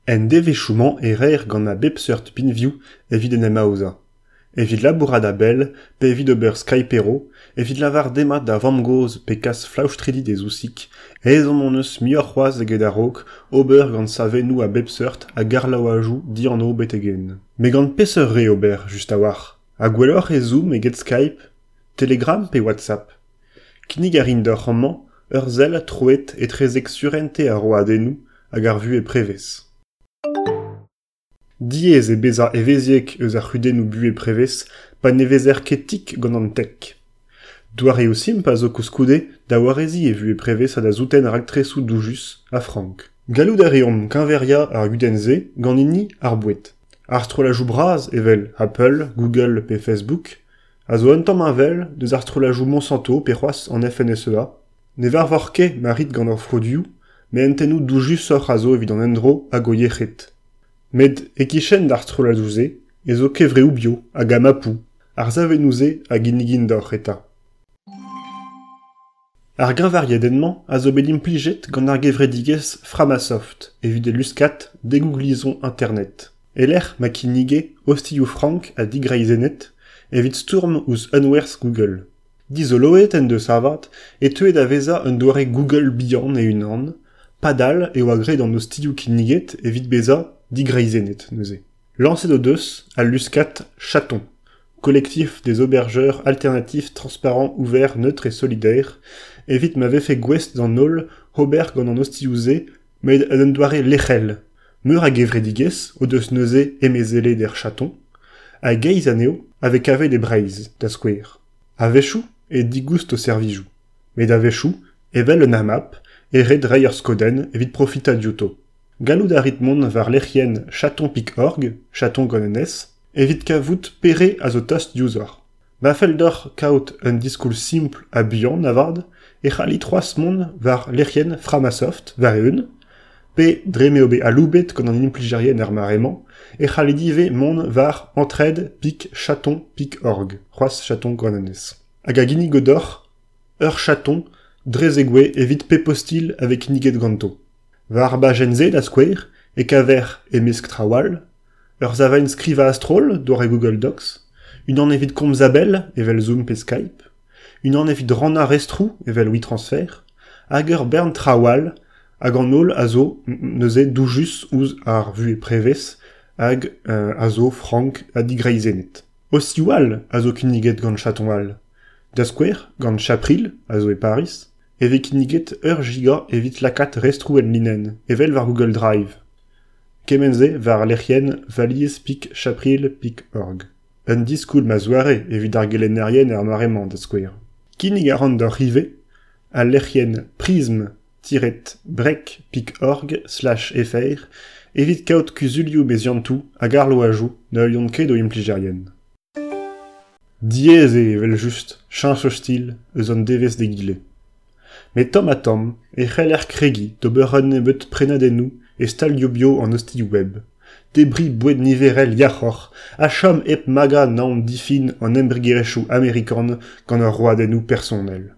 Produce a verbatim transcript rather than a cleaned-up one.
En devezhioù-mañ e reer gant a bep seurt binvioù evit en em aozañ. Evit labourat a-bell pe evit ober Skypero, evit lavaret demat da vamm-gozh pe kas flaoustridi d'e zousig, ezhomm hon eus muioc'h c'hoazh eget a-raok ober gant savennoù a bep seurt hag arloadoù dianv betek-henn. Met gant peseurt re ober just a-walc'h ? Ha gwelloc'h eo Zoom eget Skype, Telegram pe WhatsApp ? Kinnig a rin deoc'h amañ ur sell troet etrezek surentez ar roadennoù hag ar vuhez prevez. Diaes eo bezañ evezhiek eus ar c'hudennoù buhez prevez pa ne vezer ket tik gant an tech. Doareoù simpl a zo koulskoude da wareziñ e vuhez prevez ha da souten raktresoù doujus ha frank. Gallout a reomp keñveriañ ar gudenn-se gant hini ar boued. Ar strolladoù bras evel Apple, Google pe Facebook a zo un tamm heñvel deus ar strolladoù Monsanto pe c'hoazh an F N S E A. Ne varvoc'h ket ma rit gant hor produioù, met hentennoù doujusoc'h a zo evit an endro hag o yec'hed. Met e-kichen d'ar strolladoù-se ez zo kevreoù bio hag amapoù, ar savennoù-se a ginnigint deoc'h eta. Ar greñvariadenn-mañ a zo bet implijet gant ar gevredigezh Framasoft evit e luskad degouglizon Internet. E-lec'h ma kinnige ostilhoù frank ha digreizennet evit stourm ouzh unwerzh Google. Dizoloet en deus avat e teue da vezañ un doare Google bihan e-unan, padal e oa graet an ostilhoù kinniget evit bezañ digreizennet neuze. Lañset o deus al luskad Chaton, collectif des hébergeurs alternatifs transparents, ouverts, neutres et solidaires, evit ma vefe gouest d'an holl ober gant an ostilhoù-se met en un doare lec'hel. Meur a gevredigezh o deus neuze emezelet er Chaton, hag eizh anezho a vez kavet e Breizh, da skouer. A-wechoù e digoust o servijoù, met a-wechoù, evel un AMAP, e ret reiñ ur skodenn evit profitañ diouto. Gallout a rit mont war lec'hienn chaton pik org, chaton gant un S, evit kavout pere a zo tost diouzhoc'h. Ma fell deoc'h kaout un diskoulm simpl ha buan avat, e c'hallit c'hoazh mont war lec'hienn Framasoft war-eeun, pe dre m'eo bet aloubet gant an implijerien er mare-mañ, e c'hallit ivez mont war entraide pik chaton pik org, c'hoazh chaton gant un S. Hag a ginnigo deoc'h ur chaton dre zegouezh evit pep ostilh a vez kinniget ganto. War bajenn-se da skouer e kaver e-mesk traoù all, ur savenn skrivañ a-stroll doare Google Docs, unan evit komz a-bell evel Zoom pe Skype, unan evit rannañ restroù evel WeTransfer, hag ur bern traoù all hag an holl a zo neuze doujus ouzh ar vuhez prevez hag euh, a zo frank ha digreizennet. Ostilhoù all a zo kinniget gant Chaton all. Da skouer, gant Chapril, a zo e Paris, e vez kinniget ur giga evit lakaat restroù en linenn, evel war Google Drive. Kement-se war lec'hienn valiz pik chapril pik org. Un diskoulm a zoare evit ar gelennerien er mare-mañ da skouer. Kinnig a ran deoc'h ivez al lec'hienn prism tiret break pik org slash fr evit kaout kuzulioù meziantoù hag arloadoù na heuliont ket o implijerien. Diaes eo evel-just cheñch ostilh eus an devezh d'egile. Met tamm-ha-tamm e c'heller kregiñ d'ober un nebeud prenadennoù e stalioù bio an ostilhoù web. Debriñ boued niverel yac'hoc'h ha chom hep magañ naon difin an embregerezhioù amerikan gant ar roadennoù personel.